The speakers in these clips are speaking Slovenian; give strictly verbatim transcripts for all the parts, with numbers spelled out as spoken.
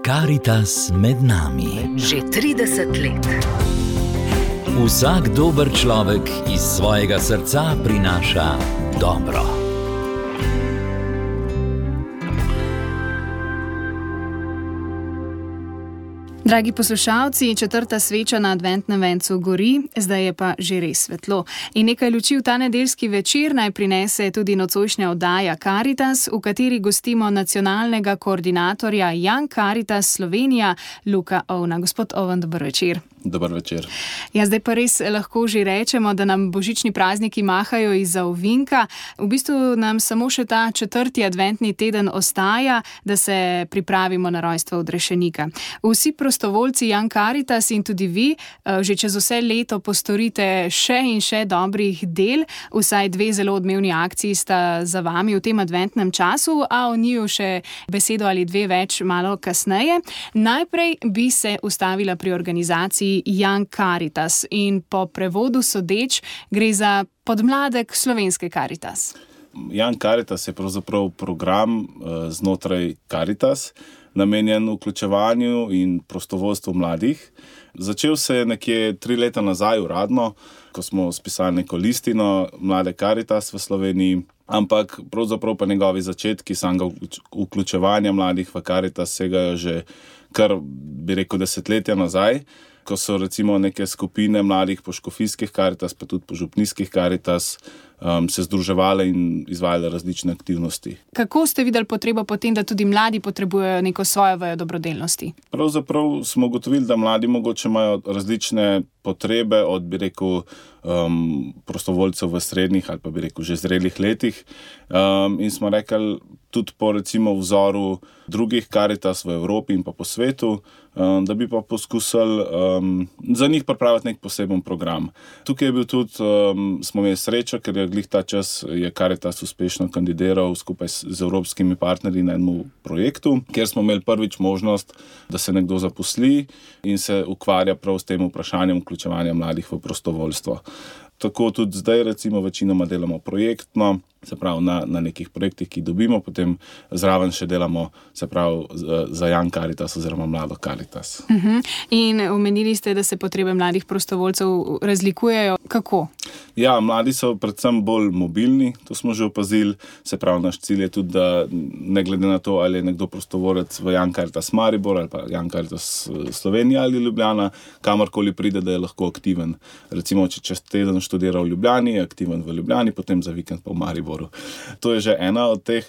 Karitas med nami. Že trideset let. Vsak dober človek iz svojega srca prinaša dobro. Dragi poslušalci, četrta sveča na adventnem vencu gori, zdaj je pa že res svetlo. In nekaj luči v ta nedeljski večer naj prinese tudi nocojšnja oddaja Karitas, v kateri gostimo nacionalnega koordinatorja Young Karitas Slovenija, Luka Ovna. Gospod Oven, dober večer. Dober večer. Ja, zdaj pa res lahko že rečemo, da nam božični prazniki mahajo izza ovinka. V bistvu nam samo še ta četrti adventni teden ostaja, da se pripravimo na rojstvo odrešenika. Vsi prostovoljci Young Karitas in tudi vi že čez vse leto postorite še in še dobrih del. Vsaj dve zelo odmevni akciji sta za vami v tem adventnem času, a o njiju še besedo ali dve več malo kasneje. Najprej bi se ustavila pri organizaciji Young Karitas in po prevodu sodeč gre za podmladek slovenske Karitas. Young Karitas je pravzaprav program znotraj Karitas, namenjen vključevanju in prostovoljstvu mladih. Začel se je nekje tri leta nazaj uradno, ko smo spisali neko listino Mlade Karitas v Sloveniji, ampak pravzaprav pa njegovi začetki samega vključevanja mladih v Karitas segajo že kar, bi rekel, desetletja nazaj, ko so recimo neke skupine mladih po škofijskih Karitas, pa tudi po župnijskih Karitas um, se združevale in izvajale različne aktivnosti. Kako ste videli potrebo potem, da tudi mladi potrebujejo neko svojo vejo dobrodelnosti? Pravzaprav smo ugotovili, da mladi mogoče imajo različne potrebe od, bi rekel, um, prostovoljcev v srednjih ali pa bi rekel že zrelih letih. Um, in smo rekli, tudi po recimo vzoru drugih Karitas v Evropi in pa po svetu, um, da bi pa poskusili um, za njih pripraviti nek poseben program. Tukaj je bil tudi, um, smo imeli srečo, ker je glih ta čas je Karitas uspešno kandidiral skupaj z, z evropskimi partnerji na enem projektu, kjer smo imeli prvič možnost, da se nekdo zaposli in se ukvarja prav s tem vprašanjem vključevanja mladih v prostovoljstvo. Tako tudi zdaj recimo večinoma delamo projektno, se pravi na, na nekih projektih, ki dobimo, potem zraven še delamo, se pravi za Young Karitas oziroma Mlado Karitas. Uh-huh. In omenili ste, da se potrebe mladih prostovoljcev razlikujejo. Kako? Ja, mladi so predvsem bolj mobilni, to smo že opazili, se pravi naš cilj je tudi, da ne glede na to, ali je nekdo prostovoljec v Young Karitas Maribor ali pa Young Karitas Slovenija ali Ljubljana, kamorkoli pride, da je lahko aktiven. Recimo, če čez teden študira v Ljubljani, je aktiven v Ljubljani, potem za vikend pa v Mariboru. To je že ena od teh.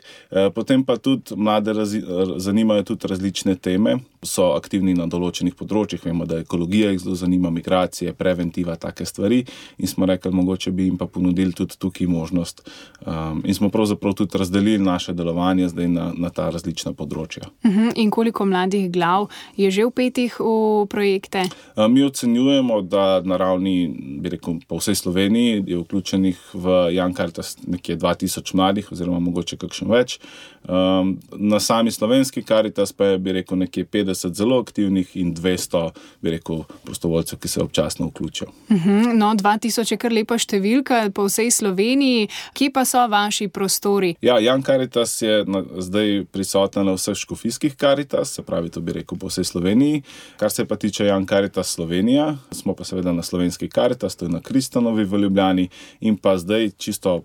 Potem pa tudi mlade razi, zanimajo tudi različne teme, so aktivni na določenih področjih, vemo, da ekologija jih zelo zanima, migracije, preventiva, take stvari in smo rekli, mogoče bi jim pa ponudili tudi tukaj možnost. Um, in smo pravzaprav tudi razdelili naše delovanje zdaj na, na ta različna področja. Uh-huh. In koliko mladih glav je že vpetih v projekte? Um, mi ocenjujemo, da na ravni, bi rekel, po vsej Sloveniji je vključenih v Young Karitas nekje dva tisoč mladih oziroma mogoče kakšen več. Um, na sami slovenski Karitas pa je, bi rekel, nekje petdeset zelo aktivnih in dvesto, bi rekel, prostovoljcev, ki se občasno vključijo. Uh-huh. No, dva tisoč je kar lepa številka po vsej Sloveniji. Kje pa so vaši prostori? Ja, Young Karitas je na, zdaj prisoten na vseh škofijskih Karitas, se pravi, to bi rekel po vsej Sloveniji. Kar se pa tiče Young Karitas Slovenija, smo pa seveda na slovenski Karitas, to je na Kristanovi v Ljubljani in pa zdaj čisto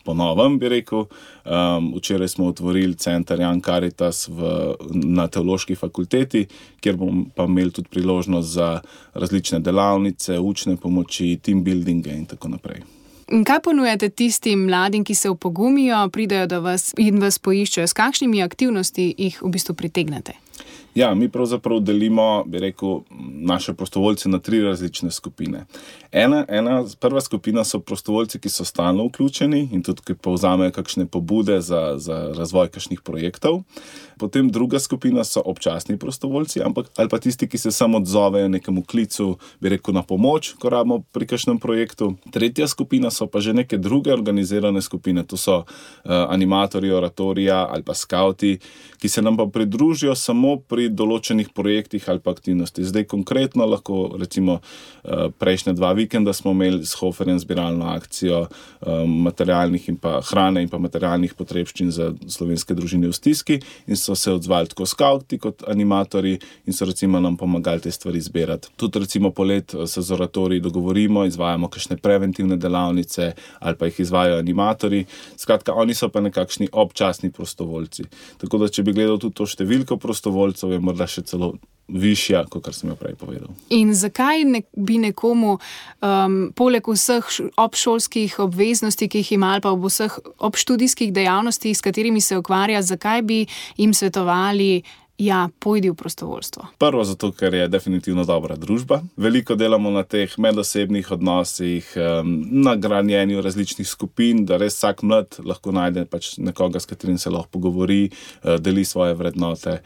po novem, bi rekel. Um, včeraj smo otvorili center Young Karitas v, na Teološki fakulteti, kjer bomo pa imeli tudi priložnost za različne delavnice, učne pomoči, team buildinge in tako naprej. In kaj ponujate tistim mladim, ki se opogumijo, pridejo do vas in vas poiščejo? S kakšnimi aktivnosti jih v bistvu pritegnete? Ja, mi pravzaprav delimo, bi rekel, naše prostovoljce na tri različne skupine. Ena, ena, prva skupina so prostovoljci, ki so stalno vključeni in tudi, ki povzamejo kakšne pobude za, za razvoj kakšnih projektov. Potem druga skupina so občasni prostovoljci, ampak ali pa tisti, ki se samo odzovejo nekemu klicu, bi rekel, na pomoč, ko rabimo pri kakšnem projektu. Tretja skupina so pa že neke druge organizirane skupine, to so uh, animatorji oratorija ali pa skauti, ki se nam pa pridružijo samo pri pri določenih projektih ali pa aktivnosti. Zdaj konkretno lahko recimo prejšnja dva vikenda smo imeli s Hoferjem zbiralno akcijo materialnih in pa hrane in pa materialnih potrebščin za slovenske družine v stiski in so se odzvali tako skauti kot animatorji in so recimo nam pomagali te stvari zbirati. Tudi recimo polet se z oratoriji dogovorimo, izvajamo kakšne preventivne delavnice ali pa jih izvajajo animatorji. Skratka, oni so pa nekakšni občasni prostovoljci. Tako da, če bi gledal tudi to številko prostovoljcev, je morda še celo višja, kot kar sem jo prej povedal. In zakaj ne, bi nekomu um, poleg vseh obšolskih obveznosti, ki jih ima, ali pa ob vseh obštudijskih dejavnostih, s katerimi se ukvarja, zakaj bi jim svetovali, ja, pojdi v prostovoljstvo? Prvo zato, ker je definitivno dobra družba. Veliko delamo na teh medosebnih odnosih, na gradnjenju različnih skupin, da res vsak mlad lahko najde pač nekoga, s katerim se lahko pogovori, deli svoje vrednote.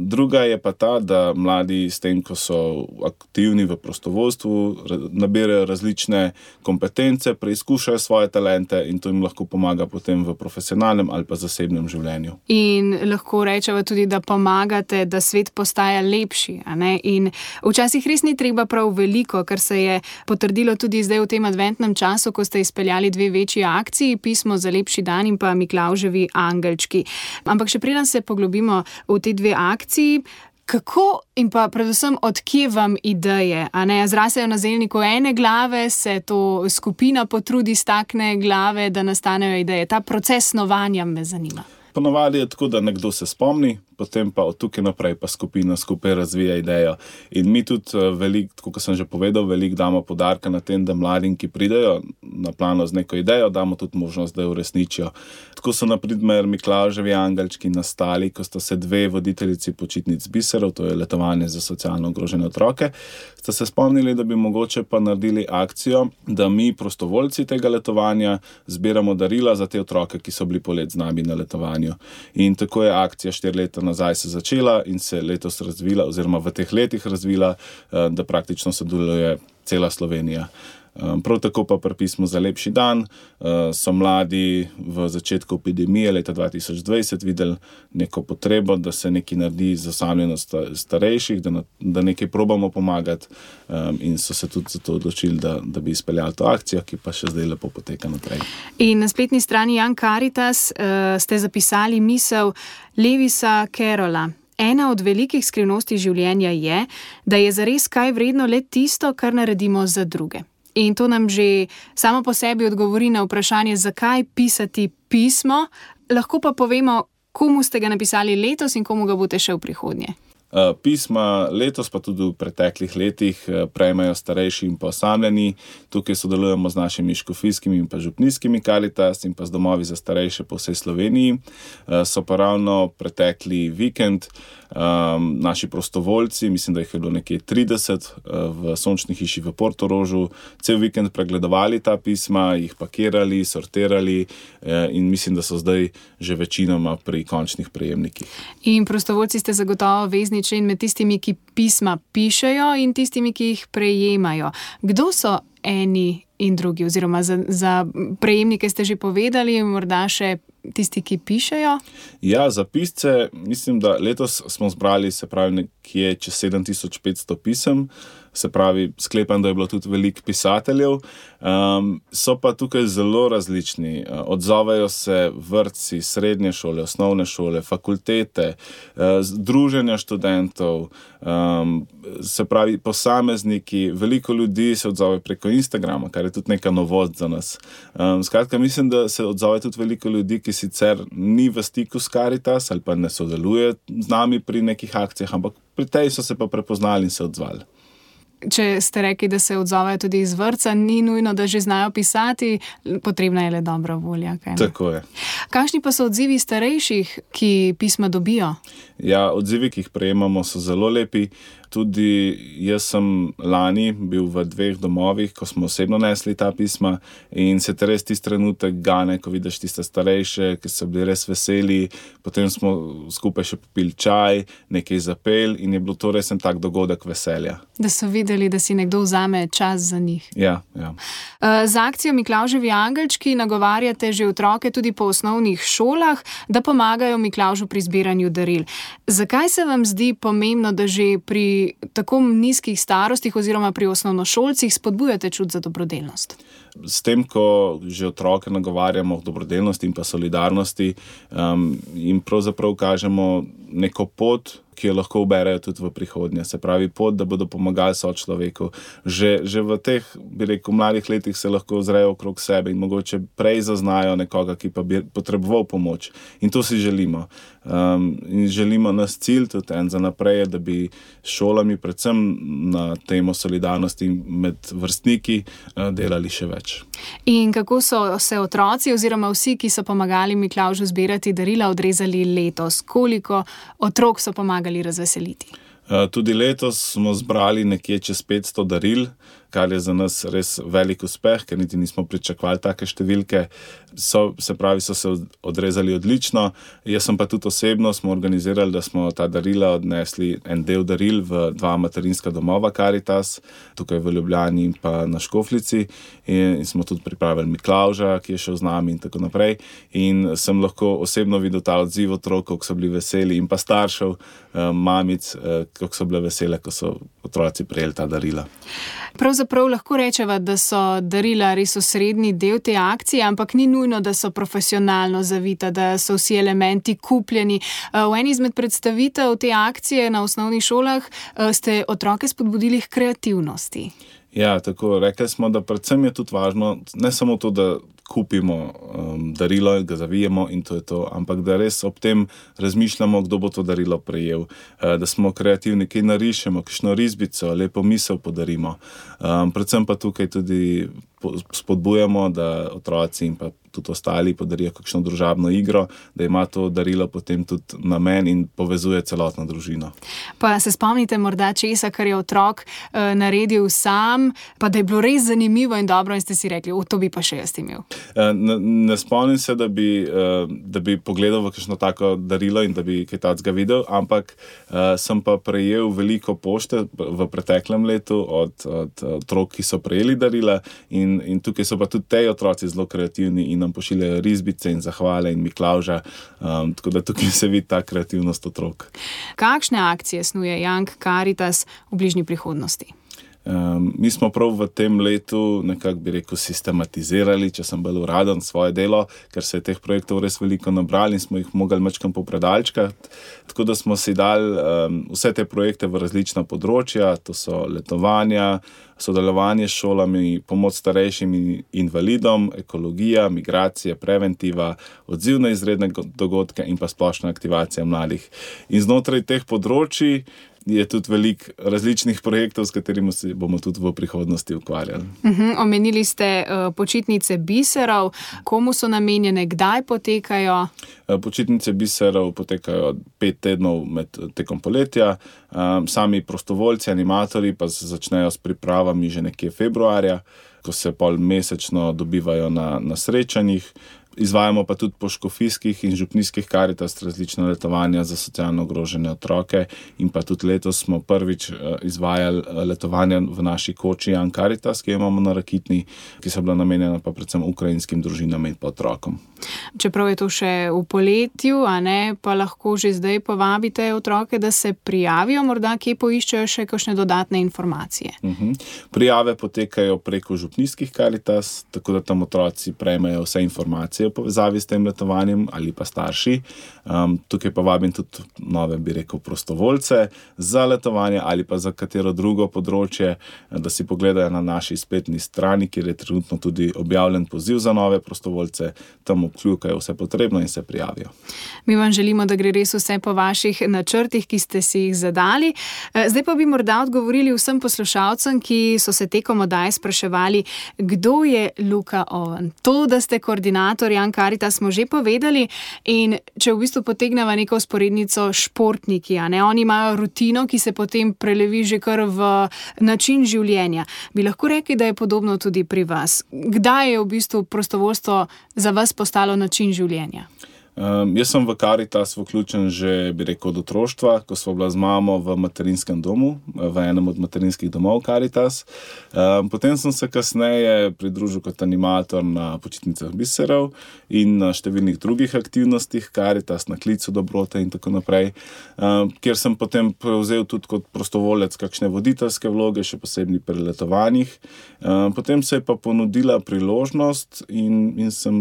Druga je pa ta, da mladi s tem, ko so aktivni v prostovoljstvu, nabirajo različne kompetence, preizkušajo svoje talente in to jim lahko pomaga potem v profesionalnem ali pa zasebnem življenju. In lahko rečeva tudi, da pomagate, da svet postaja lepši, a ne? In včasih res ni treba prav veliko, kar se je potrdilo tudi zdaj v tem adventnem času, ko ste izpeljali dve večji akciji, Pismo za lepši dan in pa Miklavževi angelčki. Ampak še preden se poglobimo v te dve akciji, kako in pa predvsem od kje vam ideje, a ne? Zrasejo na zelniku ene glave, se to skupina potrudi stakne glave, da nastanejo ideje. Ta proces snovanja me zanima. Ponovadi je tako, da nekdo se spomni, potem pa od tukaj naprej pa skupina skupaj razvija idejo. In mi tudi veliko, tako kot sem že povedal, veliko damo poudarka na tem, da mladim, ki pridejo na plano z neko idejo, damo tudi možnost, da jo uresničijo. Tako so na primer Miklavževi angelčki nastali, ko sta se dve voditeljici počitnic biserov, to je letovanje za socialno ogrožene otroke, sta se spomnili, da bi mogoče pa naredili akcijo, da mi prostovoljci tega letovanja zbiramo darila za te otroke, ki so bili polet z nami na letovanju. In tako je akcija štiri leta nazaj se začela in se letos razvila, oziroma v teh letih razvila, da praktično sodeluje cela Slovenija. Prav tako pa pri Pismu za lepši dan so mladi v začetku epidemije leta dva tisoč dvajset videli neko potrebo, da se nekaj naredi za osamljenost starejših, da, da nekaj probamo pomagati in so se tudi zato odločili, da, da bi izpeljali to akcijo, ki pa še zdaj lepo poteka naprej. In na spletni strani Young Caritas uh, ste zapisali misel Lewisa Carrolla. Ena od velikih skrivnosti življenja je, da je zares kaj vredno le tisto, kar naredimo za druge. In to nam že samo po sebi odgovori na vprašanje, zakaj pisati pismo. Lahko pa povemo, komu ste ga napisali letos in komu ga boste še v prihodnje. Pisma letos pa tudi v preteklih letih prejmejo starejši in pa osamljeni. Tukaj sodelujemo z našimi škofijskimi in pa župnijskimi Caritas in pa z domovi za starejše po vsej Sloveniji. So pa ravno pretekli vikend um, naši prostovoljci, mislim, da jih je bilo nekje trideset v Sončni hiši v Portorožu, cel vikend pregledovali ta pisma, jih pakirali, sortirali in mislim, da so zdaj že večinoma pri končnih prejemnikih. In prostovoljci ste zagotovo vezni člen med tistimi, ki pisma pišejo in tistimi, ki jih prejemajo. Kdo so eni in drugi? Oziroma za, za prejemnike ste že povedali, morda še tisti, ki pišejo? Ja, za pisce mislim, da letos smo zbrali, se pravi, nekje čez sedem tisoč petsto pisem. Se pravi, sklepam, da je bilo tudi veliko pisateljev. Um, so pa tukaj zelo različni. Odzovejo se vrtci, srednje šole, osnovne šole, fakultete, združenja študentov, um, se pravi, posamezniki. Veliko ljudi se odzove preko Instagrama, kar je tudi neka novost za nas. Um, skratka, mislim, da se odzove tudi veliko ljudi, ki sicer ni v stiku s Caritas ali pa ne sodeluje z nami pri nekih akcijah, ampak pri tej so se pa prepoznali in se odzvali. Če ste rekli, da se odzovejo tudi iz vrtca, ni nujno, da že znajo pisati, potrebna je le dobra volja. Kaj ne? Tako je. Kakšni pa so odzivi starejših, ki pisma dobijo? Ja, odzivi, ki jih prejemamo, so zelo lepi. Tudi jaz sem lani bil v dveh domovih, ko smo osebno nesli ta pisma in se te res tisti trenutek gane, ko vidiš tiste starejše, ki so bili res veseli, potem smo skupaj še popili čaj, nekaj zapel in je bilo to res en tak dogodek veselja. Da so videli, da si nekdo vzame čas za njih. Ja, ja. Z akcijo Miklavževi angelčki nagovarjate že otroke tudi po osnovnih šolah, da pomagajo Miklavžu pri zbiranju daril. Zakaj se vam zdi pomembno, da že pri tako nizkih starostih oziroma pri osnovnošolcih spodbujate čut za dobrodelnost? S tem, ko že otroke nagovarjamo k dobrodelnosti in pa solidarnosti, um, jim pravzaprav kažemo neko pot, ki jo lahko uberejo tudi v prihodnje. Se pravi pot, da bodo pomagali sočloveku. Že, že v teh, bi rekel, mladih letih se lahko ozrejo okrog sebe in mogoče prej zaznajo nekoga, ki pa bi potreboval pomoč. In to si želimo. Um, in želimo nas cilj tudi en za naprej, da bi šolami, predvsem na temo solidarnosti med vrstniki, uh, delali še več. In kako so se otroci oziroma vsi, ki so pomagali Miklavžu zbirati darila, odrezali letos? Koliko otrok so pomagali razveseliti? Tudi letos smo zbrali nekje čez petsto daril, kar je za nas res velik uspeh, ker niti nismo pričakovali take številke. So, se pravi, so se odrezali odlično. Jaz sem pa tudi osebno smo organizirali, da smo ta darila odnesli en del daril v dva materinska domova Karitas, tukaj v Ljubljani in pa na Škofljici. In, in smo tudi pripravili Miklavža, ki je šel z nami in tako naprej. In sem lahko osebno videl ta odziv otrok, kako so bili veseli, in pa staršev, mamic, kako so bile vesele, ko so otroci prejeli ta darila. Pravzaprav lahko rečeva, da so darila res osrednji del te akcije, ampak ni nujno, da so profesionalno zavita, da so vsi elementi kupljeni. V eni izmed predstavitev te akcije na osnovnih šolah ste otroke spodbudili k kreativnosti. Ja, tako, rekli smo, da predvsem je tudi važno, ne samo to, da kupimo um, darilo, ga zavijemo in to je to, ampak da res ob tem razmišljamo, kdo bo to darilo prejel, uh, da smo kreativni, kaj narišemo, kakšno risbico, lepo misel podarimo. Um, predvsem pa tukaj tudi spodbujamo, da otroci in pa tudi ostali podarijo kakšno družabno igro, da ima to darilo potem tudi namen in povezuje celotno družino. Pa se spomnite morda česa, kar je otrok uh, naredil sam, pa da je bilo res zanimivo in dobro in ste si rekli, o, to bi pa še jaz imel. Ne, ne spomnim se, da bi, uh, da bi pogledal v kakšno tako darilo in da bi kaj takega videl, ampak uh, sem pa prejel veliko pošte v preteklem letu od, od otrok, ki so prejeli darila in, in tukaj so pa tudi te otroci zelo kreativni in nam pošiljajo risbice in zahvale in Miklavža, um, tako da tukaj se vidi ta kreativnost otrok. Kakšne akcije snuje Young Caritas v bližnji prihodnosti? Um, mi smo prav v tem letu nekako bi rekel sistematizirali, če sem bolj uraden, svoje delo, ker se je teh projektov res veliko nabrali in smo jih mogli mačkam popredalčkati. Tako da smo si dali um, vse te projekte v različna področja, to so letovanja, sodelovanje s šolami, pomoč starejšim invalidom, ekologija, migracije, preventiva, odziv na izredne dogodke in pa splošna aktivacija mladih. In znotraj teh področji je tudi veliko različnih projektov, s katerimi se bomo tudi v prihodnosti ukvarjali. Uhum, omenili ste uh, počitnice biserov. Komu so namenjene, kdaj potekajo? Počitnice biserov potekajo pet tednov med tekom poletja. Um, sami prostovoljci, animatorji pa se začnejo s pripravami že nekje februarja, ko se pol mesečno dobivajo na, na srečanjih. Izvajamo pa tudi po škofijskih in župnijskih Karitas različna letovanja za socialno ogrožene otroke in pa tudi letos smo prvič izvajali letovanja v naši koči Young Caritas, ki jo imamo na Rakitni, ki so bila namenjena pa predvsem ukrajinskim družinam in pa otrokom. Čeprav je to še v poletju, a ne, pa lahko že zdaj povabite otroke, da se prijavijo, morda kje poiščejo še kakšne dodatne informacije. Uh-huh. Prijave potekajo preko župnijskih Karitas, tako da tam otroci prejmejo vse informacije v povezavi s tem letovanjem ali pa starši. Um, tukaj pa vabim tudi nove, bi rekel, prostovoljce za letovanje ali pa za katero drugo področje, da si pogledajo na naši spletni strani, kjer je trenutno tudi objavljen poziv za nove prostovoljce, tam obkljukajo vse potrebno in se prijavijo. Mi vam želimo, da gre res vse po vaših načrtih, ki ste si jih zadali. Zdaj pa bi morda odgovorili vsem poslušalcem, ki so se tekom oddaje spraševali, kdo je Luka Oven. To, da ste koordinator Jan Karitas smo že povedali in če v bistvu potegnemo neko vzporednico športniki, a ne, oni imajo rutino, ki se potem prelevi že kar v način življenja. Bi lahko rekli, da je podobno tudi pri vas? Kdaj je v bistvu prostovoljstvo za vas postalo način življenja? Um, jaz sem v Karitas vključen že, bi rekel, od otroštva, ko smo bila z mamo v materinskem domu, v enem od materinskih domov Karitas. Um, potem sem se kasneje pridružil kot animator na počitnicah biserov in na številnih drugih aktivnostih Karitas, na klicu dobrote in tako naprej, um, kjer sem potem prevzel tudi kot prostovolec kakšne voditeljske vloge, še posebej pri letovanjih. Um, potem se je pa ponudila priložnost in, in sem,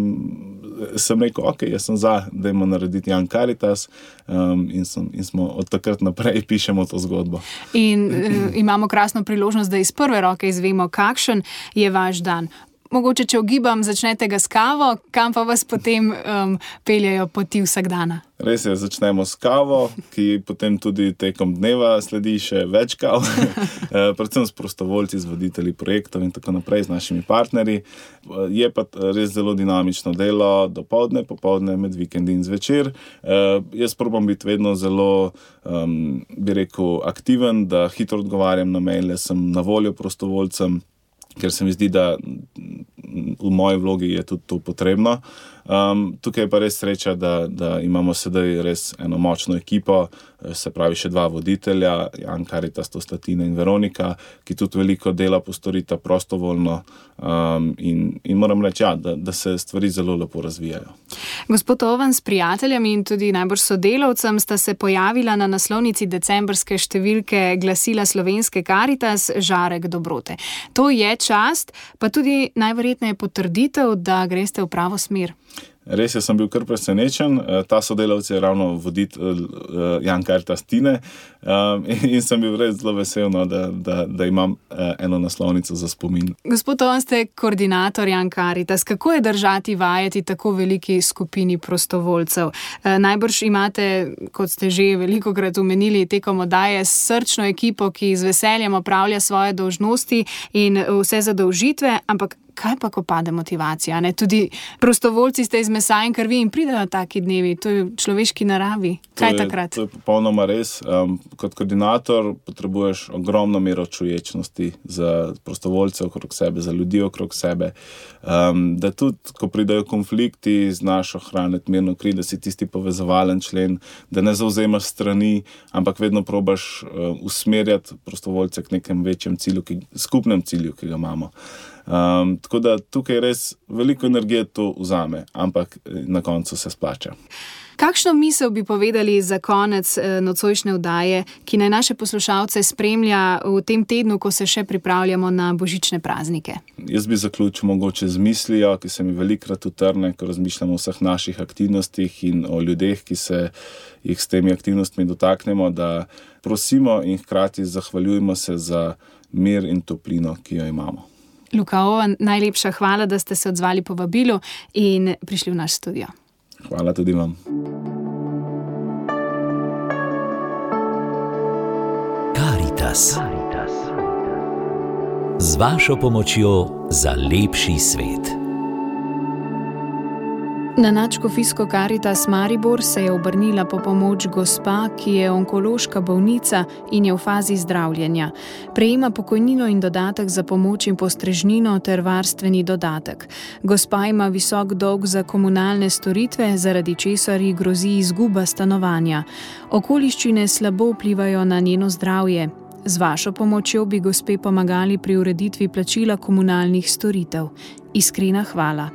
sem rekel, ok, jaz sem za, dajmo narediti Jan Karitas um, in, sem, in smo od takrat naprej pišemo to zgodbo. In uh, imamo krasno priložnost, da iz prve roke izvemo, kakšen je vaš dan. Mogoče, če ugibam, začnete ga s kavo, kam pa vas potem um, peljajo poti vsak dana? Res je, začnemo s kavo, ki potem tudi tekom dneva sledi še več kav, predvsem s prostovoljci, z voditelji projektov in tako naprej, z našimi partnerji. Je pa res zelo dinamično delo, dopoldne, popoldne, med vikendi in zvečer. Jaz probam biti vedno zelo, um, bi rekel, aktiven, da hitro odgovarjam na maile, sem na voljo prostovoljcem, ker se mi zdi, da v moji vlogi je tudi to potrebno. Um, tukaj je pa res sreča, da, da imamo sedaj res eno močno ekipo, se pravi še dva voditelja, Jan Karitas, to sta Tina in Veronika, ki tudi veliko dela postorita prostovoljno um, in, in moram reči, ja, da, da se stvari zelo lepo razvijajo. Gospod Oven, s prijateljami in tudi najbolj sodelavcem sta se pojavila na naslovnici decembrske številke glasila Slovenske Karitas Žarek dobrote. To je čast, pa tudi najverjetneje potrditev, da greste v pravo smer. Res je, sem bil kar presenečen. Ta sodelavec je ravno voditelj Jan Karitas Tine in sem bil res zelo vesel, no, da, da, da imam eno naslovnico za spomin. Gospod Oven, ste koordinator Jan Karitas. Kako je držati vajeti tako veliki skupini prostovoljcev? Najbrž imate, kot ste že velikokrat omenili, tekom oddaje srčno ekipo, ki z veseljem opravlja svoje dolžnosti in vse zadolžitve, ampak kaj pa, ko pade motivacija? Ne? Tudi prostovoljci ste iz mesa in krvi in pridejo taki dnevi. To je v človeški naravi. Kaj je, takrat? To je popolnoma res. Um, kot koordinator potrebuješ ogromno mero čuječnosti za prostovoljce okrog sebe, za ljudi okrog sebe. Um, da tudi, ko pridejo konflikti, znaš ohraniti mirno kri, da si tisti povezovalen člen, da ne zavzemaš strani, ampak vedno probaš uh, usmerjati prostovoljce k nekem večjem cilju, ki, skupnem cilju, ki ga imamo. Um, tako da tukaj res veliko energije to vzame, ampak na koncu se splača. Kakšno misel bi povedali za konec eh, nocojšnje oddaje, ki naj naše poslušalce spremlja v tem tednu, ko se še pripravljamo na božične praznike? Jaz bi zaključil mogoče z mislijo, ki se mi velikrat utrne, ko razmišljamo o vseh naših aktivnostih in o ljudeh, ki se jih s temi aktivnostmi dotaknemo, da prosimo in hkrati zahvaljujemo se za mir in toplino, ki jo imamo. Luka Oven, najlepša hvala, da ste se odzvali povabilu in prišli v naš studio. Hvala tudi vam. Karitas. Z vašo pomočjo za lepši svet. Na Nadškofijsko Karitas Maribor se je obrnila po pomoč gospa, ki je onkološka bolnica in je v fazi zdravljenja. Prejema pokojnino in dodatek za pomoč in postrežnino ter varstveni dodatek. Gospa ima visok dolg za komunalne storitve, zaradi česar ji grozi izguba stanovanja. Okoliščine slabo vplivajo na njeno zdravje. Z vašo pomočjo bi gospe pomagali pri ureditvi plačila komunalnih storitev. Iskrena hvala.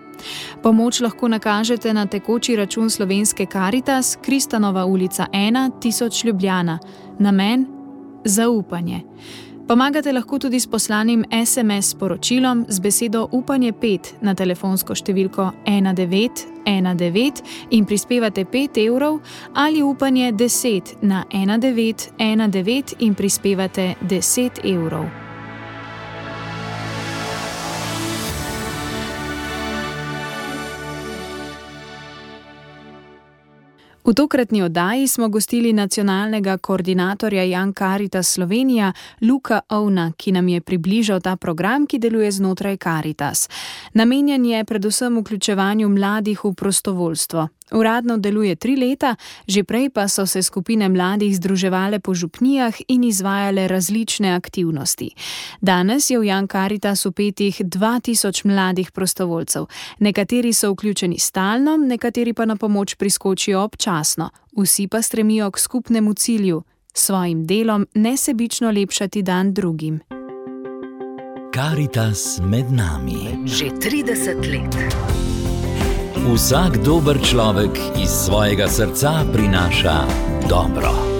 Pomoč lahko nakažete na tekoči račun Slovenske Karitas, Kristanova ulica ena, tisoč Ljubljana. Namen? Zaupanje. Pomagate lahko tudi s poslanim es em es sporočilom z besedo upanje pet na telefonsko številko ena devet ena devet in prispevate pet evrov ali upanje deset na ena devet ena devet in prispevate deset evrov. V tokratni oddaji smo gostili nacionalnega koordinatorja Young Caritas Slovenija Luka Ovna, ki nam je približal ta program, ki deluje znotraj Caritas. Namenjen je predvsem vključevanju mladih v prostovoljstvo. Uradno deluje tri leta, že prej pa so se skupine mladih združevale po župnijah in izvajale različne aktivnosti. Danes je v Young Caritas vpetih dva tisoč mladih prostovoljcev. Nekateri so vključeni stalno, nekateri pa na pomoč priskočijo občasno. Vsi pa stremijo k skupnemu cilju, svojim delom nesebično lepšati dan drugim. Caritas med nami. Že trideset let. Vsak dober človek iz svojega srca prinaša dobro.